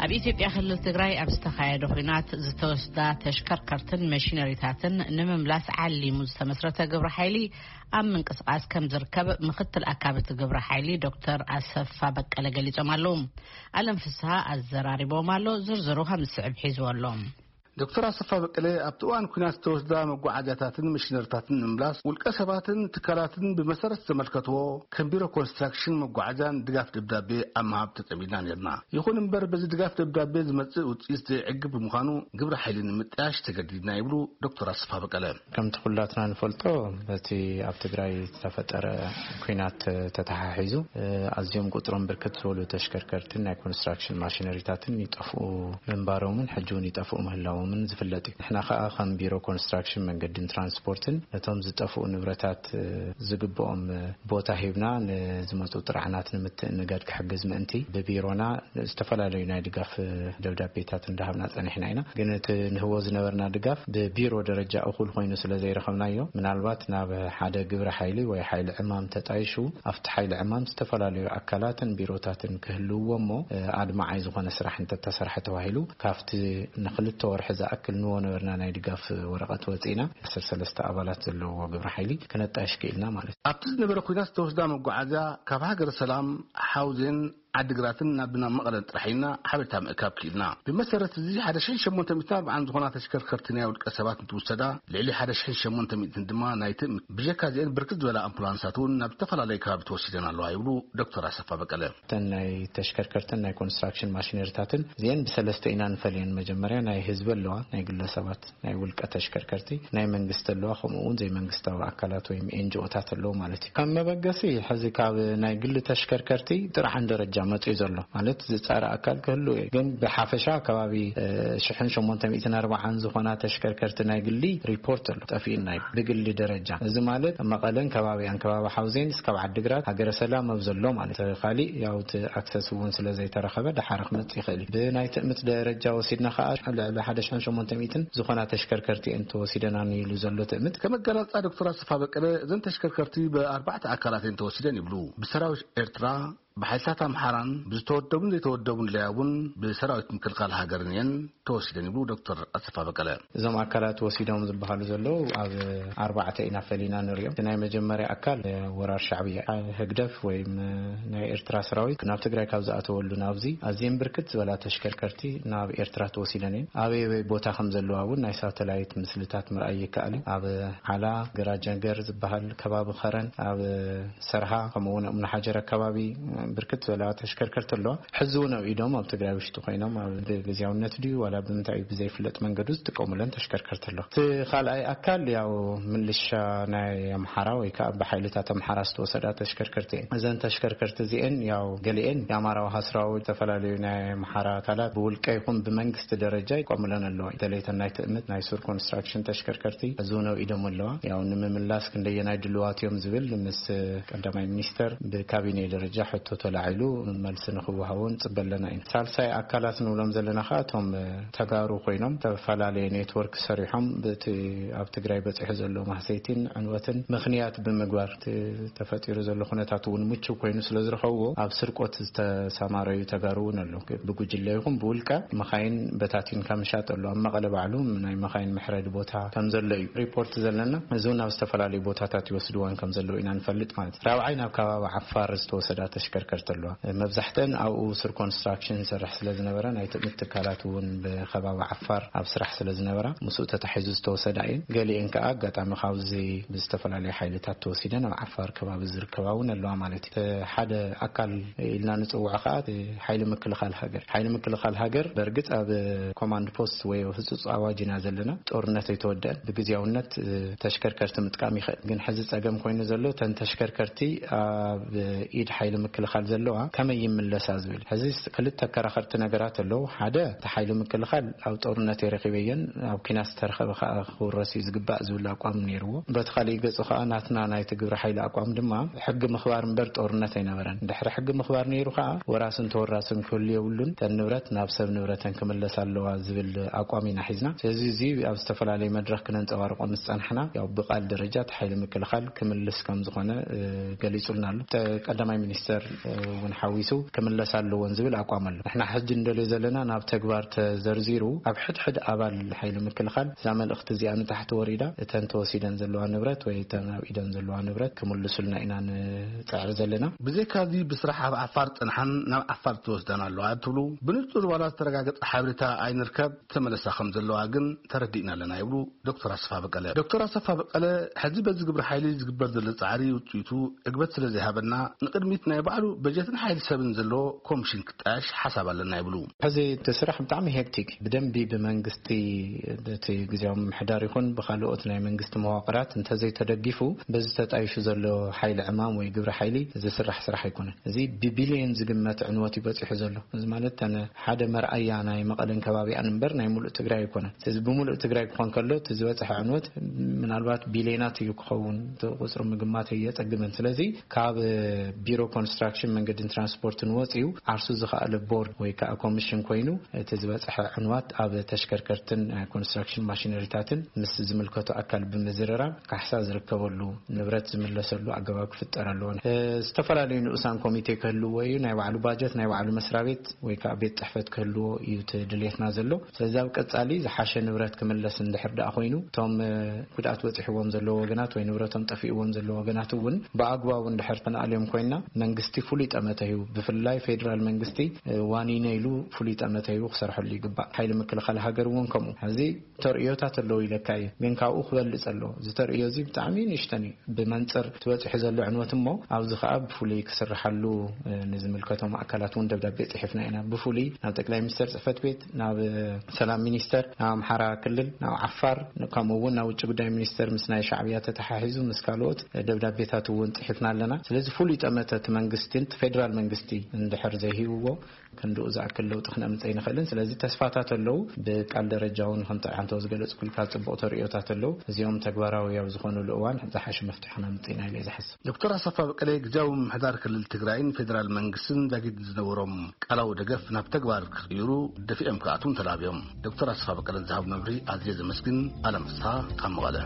ኣብ ኢትዮጵያ ክልል ትግራይ ኣብ ዝተኻየደ ኲናት ዝተወስዳ ተሽከርከርትን መሽነሪታትን ንምምላስ ዓሊሙ ዝተመስረተ ግብረ ሓይሊ ኣብ ምንቅስቃስ ከም ዝርከብ ምክትል ኣካብቲ ግብረ ሓይሊ ዶክተር ኣሰፋ በቀለ ገሊጾም ኣለዉ። ኣለም ፍስሃ ኣዘራሪቦም ኣሎ። ዝርዝሩ ከም ዝስዕብ ሒዝዎ ኣሎ። ዶክተር ኣሰፋ በቀለ ኣብቲ እዋን ኲናት ዝተወስዳ መጓዓዝያታትን መሽነሪታትን ንምምላስ ውልቀ ሰባትን ትካላትን ብመሰረት ዝተመልከትዎ ከም ቢሮ ኮንስትራክሽን መጓዓዝያን ድጋፍ ደብዳቤ ኣብ ምሃብ ተጸሚድና ነርና። ይኹን እምበር በዚ ድጋፍ ደብዳቤ ዝመጽእ ውጽኢት ዘይዕግብ ብምዃኑ ግብረ ሓይሊ ንምጥያሽ ተገዲድና ይብሉ ዶክተር ኣሰፋ በቀለ። ከምቲ ኩላትና ንፈልጦ በቲ ኣብ ትግራይ ዝተፈጠረ ኲናት ተተሓሒዙ ኣዝዮም ቁጽሮም ብርክት ዝበሉ ተሽከርከርትን ናይ ኮንስትራክሽን ማሽነሪታትን ይጠፍኡ ምንባሮምን ሕጂ እውን ይጠፍኡ ምህላዎምን ዝፍለጥ እዩ። ንሕና ከኣ ከም ቢሮ ኮንስትራክሽን መንገድን ትራንስፖርትን ነቶም ዝጠፍኡ ንብረታት ዝግብኦም ቦታ ሂብና ንዝመፁ ጥርዓናት ንምትእንጋድ ክሕግዝ ምእንቲ ብቢሮና ዝተፈላለዩ ናይ ድጋፍ ደብዳቤታት እንዳሃብና ጸኒሕና ኢና። ግን እቲ ንህቦ ዝነበርና ድጋፍ ብቢሮ ደረጃ እኹል ኮይኑ ስለ ዘይረኸብናዮ ምናልባት ናብ ሓደ ግብረ ሓይሊ ወይ ሓይሊ ዕማም ተጣይሹ ኣብቲ ሓይሊ ዕማም ዝተፈላለዩ ኣካላትን ቢሮታትን ክህልውዎ እሞ ኣድማዓይ ዝኾነ ስራሕ እንተተሰርሐ ተባሂሉ ካብቲ ንክልተ ወርሒ ዝኣክል ንዎ ነበርና ናይ ድጋፍ ወረቐት ወፂና ዓሰርተ ሰለስተ ኣባላት ዘለዎ ግብረ ሓይሊ ክነጣይሽ ክኢልና ማለት እዩ። ኣብቲ ዝነበረ ኩናት ዝተወስዳ መጓዓዝያ ካብ ሃገረ ሰላም ሓውዜን ዓዲግራትን ናብ ናብ መቐለን ጥራሕ ኢልና ሓበሬታ ምእካብ ክኢልና። ብመሰረት እዚ ሓደ ሽሕን ሸሞንተ ሚእትን ኣርባዓን ዝኾና ተሽከርከርቲ ናይ ውልቀ ሰባት እንትውሰዳ ልዕሊ ሓደ ሽሕን ሸሞንተ ሚእትን ድማ ናይ ትእምት። ብጀካ እዚአን ብርክት ዝበላ ኣምቡላንሳት እውን ናብ ዝተፈላለዩ ከባቢ ተወሲደን ኣለዋ ይብሉ ዶክተር ኣሰፋ በቀለ። እተን ናይ ተሽከርከርትን ናይ ኮንስትራክሽን ማሽነሪታትን እዚአን ብሰለስተ ኢና ንፈልየን። መጀመርያ ናይ ህዝቢ ኣለዋ፣ ናይ ግለሰባት ናይ ውልቀ ተሽከርከርቲ፣ ናይ መንግስቲ ኣለዋ፣ ከምኡ እውን ዘይመንግስታዊ ኣካላት ወይም ኤንጂኦታት ኣለዉ ማለት እዩ። ከም መበገሲ ሕዚ ካብ ናይ ግሊ ተሽከርከርቲ ጥርዓን ደረጃ መፅኡ ዘሎ ማለት ዝፃረ ኣካል ክህሉ እዩ። ግን ብሓፈሻ ከባቢ ሽሕን ሸሞንተ ሚእትን ኣርባዓን ዝኾና ተሽከርከርቲ ናይ ግሊ ሪፖርት ኣሎ ጠፊእና እዩ ብግሊ ደረጃ። እዚ ማለት መቐለን ከባቢኣን ከባቢ ሓውዜን እስካብ ዓድግራት ሃገረ ሰላም ኣብ ዘሎ ማለት ካሊእ ያው እቲ ኣክሰስ እውን ስለ ዘይተረኸበ ደሓር ክመፅእ ይኽእል እዩ። ብናይ ትእምት ደረጃ ወሲድና ከዓ ልዕሊ ሓደ ሽሕን ሸሞንተ ሚእትን ዝኾና ተሽከርከርቲ እየን ተወሲደናን ኢሉ ዘሎ ትእምት። ከም ኣገላልፃ ዶክተር ኣሰፋ በቀለ እዘን ተሽከርከርቲ ብኣርባዕተ ኣካላት እየን ተወሲደን ይብሉ። ብሰራዊት ኤርትራ፣ ብሓይልታት ኣምሓራን ብዝተወደቡን ዘይተወደቡን ለያቡን ብሰራዊት ምክልኻል ሃገርን እየን ተወሲደን ይብሉ ዶክተር ኣሰፋ በቀለ። እዞም ኣካላት ወሲዶም ዝበሃሉ ዘለዉ ኣብ ኣርባዕተ ኢና ፈሊና ንሪኦም። እቲ ናይ መጀመርያ ኣካል ወራር ሻዕብያ ህግደፍ ወይም ናይ ኤርትራ ሰራዊት ናብ ትግራይ ካብ ዝኣተወሉ ናብዚ ኣዝየን ብርክት ዝበላ ተሽከርከርቲ ናብ ኤርትራ ተወሲደን እየን። ኣበይ ኣበይ ቦታ ከም ዘለዋ እውን ናይ ሳተላይት ምስልታት ምርኣይ ይከኣል እዩ። ኣብ ዓላ ገራጀንገር ዝበሃል ከባቢ ኸረን፣ ኣብ ሰርሃ ከምኡ እውን እምኒ ሓጀር ኣካባቢ ብርክት ዝበላ ተሽከርከርቲ ኣለዋ። ሕዚ እውን ኣብ ኢዶም ኣብ ትግራይ ውሽጢ ኮይኖም ኣብ ብግዝያውነት ድዩ ዋላ ብምንታይ እዩ ብዘይፍለጥ መንገዱ ዝጥቀሙለን ተሽከርከርቲ ኣለዋ። እቲ ካልኣይ ኣካል ያው ምልሻ ናይ ኣምሓራ ወይ ከዓ ብሓይልታት ኣምሓራ ዝተወሰዳ ተሽከርከርቲ እየን። እዘን ተሽከርከርቲ እዚአን ያው ገሊአን የኣማራ ውሃ ሰራዊት ዝተፈላለዩ ናይ ኣምሓራ ኣካላት ብውልቀ ይኹን ብመንግስቲ ደረጃ ይቆሙለን ኣለዋ። ደለይተን ናይ ትእምት ናይ ሱር ኮንስትራክሽን ተሽከርከርቲ ሕዚ እውን ኣብ ኢዶም ኣለዋ። ያው ንምምላስ ክንደየናይ ድልዋት እዮም ዝብል ምስ ቀዳማይ ሚኒስተር ብካቢኔ ደረጃ ሕቶ ተላዒሉ መልሲ ንክወሃቦ ንፅበ ኣለና ኢና። ሳልሳይ ኣካላት ንብሎም ዘለና ከዓ እቶም ተጋሩ ኮይኖም ዝተፈላለየ ኔትወርክ ሰሪሖም በቲ ኣብ ትግራይ በፂሑ ዘሎ ማህሰይቲን ዕንወትን ምኽንያት ብምግባር እቲ ተፈጢሩ ዘሎ ኩነታት እውን ምቹው ኮይኑ ስለ ዝረኸብዎ ኣብ ስርቆት ዝተሰማረዩ ተጋሩ እውን ኣለዉ። ብጉጅለ ይኹን ብውልቀ መኻይን በታቲንካ ምሻጥ ኣሎ። ኣብ መቐለ ባዕሉ ናይ መኻይን መሕረዲ ቦታ ከም ዘሎ እዩ ሪፖርት ዘለና። እዚ እውን ኣብ ዝተፈላለዩ ቦታታት ይወስድዋን ከም ዘለዉ ኢና ንፈልጥ ማለት እዩ። ራብዓይ ናብ ከባቢ ዓፋር ዝተወሰዳ ተሽከርከርቲ ኣለዋ። መብዛሕተን ኣብኡ ስር ኮንስትራክሽን ይሰርሕ ስለ ዝነበረ ናይ ትእምት ትካላት እውን ብከባቢ ዓፋር ኣብ ስራሕ ስለ ዝነበራ ምስኡ ተታሒዙ ዝተወሰዳ እየን። ገሊአን ከዓ ኣጋጣሚ ካብዚ ብዝተፈላለዩ ሓይልታት ተወሲደን ኣብ ዓፋር ከባቢ ዝርከባ እውን ኣለዋ ማለት እዩ። እቲ ሓደ ኣካል ኢልና ንፅውዖ ከዓ እቲ ሓይሊ ምክልኻል ሃገር። ሓይሊ ምክልኻል ሃገር በእርግፅ ኣብ ኮማንድ ፖስት ወይ ህፁፅ ኣዋጅ ኢና ዘለና። ጦርነት ኣይተወደአን። ብግዝያውነት እ፣ ተሽከርከርቲ ምጥቃም ይኽእል። ግን ሕዚ ፀገም ኮይኑ ዘሎ እተን ተሽከርከርቲ ኣብ ኢድ ሓይሊ ምክልኻል ዘለዋ ከመይ ይምለሳ ዝብል። ሕዚ ክልተ ኣከራኸርቲ ነገራት ኣለዉ። ሓደ እቲ ሓይሊ ምክልኻል ኣብ ጦርነት የረኺበየን ኣብ ኲናት ዝተረኸበ ከዓ ክውረስ እዩ ዝግባእ ዝብል ኣቋም ነይርዎ። በቲ ካሊእ ገፁ ከዓ ናትና ናይቲ ግብረ ሓይሊ ኣቋም ድማ ሕጊ ምኽባር እምበር ጦርነት ኣይነበረን። ድሕሪ ሕጊ ምኽባር ነይሩ ከዓ ወራስን ተወራስን ክህሉ የብሉን። እተን ንብረት ናብ ሰብ ንብረተን ክምለስ ኣለዋ ዝብል ኣቋም ኢና ሒዝና። ስለዚ እዚ ኣብ ዝተፈላለየ መድረኽ ክነንፀባርቆ ምስ ጸናሕና ያው ብቃል ደረጃ እቲ ሓይሊ ምክልኻል ክምልስ ከም ዝኾነ እ፣ ገሊጹልና ኣሎ። ተ- ቀዳማይ ሚኒስተር እውን ሓዊሱ ክምለስ ኣለዎን ዝብል ኣቋም ኣሎ። ንሕና ሕጂ እንደልዮ ዘለና ናብ ተግባር ተዘርዚሩ ኣብ ሕድሕድ ኣባል ሓይሊ ምክልኻል እዛ መልእኽቲ እዚኣ ንታሕቲ ወሪዳ እተን ተወሲደን ዘለዋ ንብረት ወይ እተን ኣብ ኢደን ዘለዋ ንብረት ክምልሱልና ኢና ንፅዕር ዘለና። ብዘይካዚ ብስራሕ ኣብ ዓፋር ጸንሓን ናብ ዓፋር ተወስዳን ኣለዋ ትብሉ። ብንጹር ዋላ ዝተረጋገጸ ሓበሬታ ኣይንርከብ፣ ተመለሳ ከም ዘለዋ ግን ተረዲእና ኣለና ይብሉ ዶክተር ኣሰፋ በቀለ። ዶክተር ኣሰፋ በቀለ፣ ሕዚ በዚ ግብረ ሓይሊ ዝግበር ዘሎ ጻዕሪ ውጽኢቱ ዕግበት ስለ ዘይሃበና ንቅድሚት ናይ ባዕሉ በጀትን ሓይሊ ሰብን ዘለዎ ኮሚሽን ክጣየሽ ሓሳብ ኣለና ይብሉ። ሕዚ እቲ ስራሕ ብጣዕሚ ሄክቲክ፣ ብደንቢ ብመንግስቲ፣ በቲ ግዜያዊ ምምሕዳር ይኹን ብካልኦት ናይ መንግስቲ መዋቅራት እንተዘይተደጊፉ፣ በዚ ተጣይሹ ዘሎ ሓይሊ ዕማም ወይ ግብረ ሓይሊ ዝስራሕ ስራሕ ኣይኮነን። እዚ ብቢልዮን ዝግመት ዕንወት እዩ በፂሑ ዘሎ። እዚ ማለት ተነ ሓደ መርኣያ ናይ መቐለን ከባቢኣን እምበር ናይ ሙሉእ ትግራይ ኣይኮነን። ስለዚ ብምሉእ ትግራይ ክኾን ከሎ እቲ ዝበፅሐ ዕንወት ምናልባት ቢልዮናት እዩ ክኸውን፣ እቲ ቁፅሪ ምግማት የፀግመን። ስለዚ ካብ ቢሮ ኮንስትራክሽን መንገድን ትራንስፖርትን ወፂኡ ዓርሱ ዝኸኣለ ቦርድ ወይ ከዓ ኮሚሽን ኮይኑ እቲ ዝበፅሐ ዕንዋት ኣብ ተሽከርከርትን ኮንስትራክሽን ማሽነሪታትን ምስ ዝምልከቱ ኣካል ብምዝርራብ ካሕሳ ዝርከበሉ ንብረት ዝምለሰሉ ኣገባብ ክፍጠር ኣለዎ። ዝተፈላለዩ ንኡሳን ኮሚቴ ክህልዎ እዩ። ናይ ባዕሉ ባጀት፣ ናይ ባዕሉ መስሪያ ቤት ወይ ከዓ ቤት ፅሕፈት ክህልዎ እዩ እቲ ድልየትና ዘሎ። ስለዚ ኣብ ቀፃሊ ዝሓሸ ንብረት ክምለስ እንድሕር ደኣ ኮይኑ እቶም ጉድኣት በፂሕዎም ዘለዎ ወገናት ወይ ንብረቶም ጠፊእዎም ዘለዎ ወገናት እውን ብኣግባቡ እንድሕር ተነኣልዮም ኮይና መንግስቲ ፍሉይ ጠመተ እዩ፣ ብፍላይ ፌዴራል መንግስቲ ዋኒነ ኢሉ ፍሉይ ጠመተ እዩ ክሰርሐሉ ይግባእ። ሓይሊ ምክልኻል ሃገር እውን ከምኡ። ሕዚ ተርእዮታት ኣለዉ ኢለካ እዩ፣ ግን ካብኡ ክበልፅ ኣለዎ። እዚ ተርእዮ እዚ ብጣዕሚ ንእሽተን እዩ ብመንፅር ትበፂሑ ዘሎ ዕንወት እሞ ኣብዚ ከዓ ብፍሉይ ክስርሓሉ ንዝምልከቶም ኣካላት እውን ደብዳቤ ፅሒፍና ኢና። ብፍሉይ ናብ ጠቅላይ ሚኒስትር ፅሕፈት ቤት፣ ናብ ሰላም ሚኒስተር፣ ናብ ኣምሓራ ክልል፣ ናብ ዓፋር፣ ከምኡ እውን ናብ ውጭ ጉዳይ ሚኒስተር ምስ ናይ ሻዕብያ ተተሓሒዙ ምስ ካልኦት ደብዳቤታት እውን ፅሒፍና ኣለና። ስለዚ ፍሉይ ጠመተ እቲ መንግስትን እቲ ፌዴራል መንግስቲ እንድሕር ዘይሂብዎ ክንድኡ ዝኣክል ለውጢ ክነምፀ ይንኽእልን። ስለዚ ተስፋታት ኣለዉ። ብቃል ደረጃ እውን ከምቲ ዓንተው ዝገለፅኩልካ ፅቡቕ ተርእዮታት ኣለዉ። እዚኦም ተግባራዊ ኣብ ዝኾኑሉ እዋን ዝሓሸ መፍትሒ ክነምፅእ ኢና ኢለ ዝሓስብ። ዶክተር ኣሰፋ በቀለ ግዜያዊ ምምሕዳር ክልል ትግራይን ፌዴራል መንግስትን ዛጊድ ዝነበሮም ቃላዊ ደገፍ ናብ ተግባር ክቕይሩ ደፊኦም ክኣትዉን ተላብዮም። ዶክተር ኣሰፋ በቀለ ዝሃቡ መብርሂ ኣዝየ ዘመስግን። ኣለም ፍስሓ ካብ መቐለ።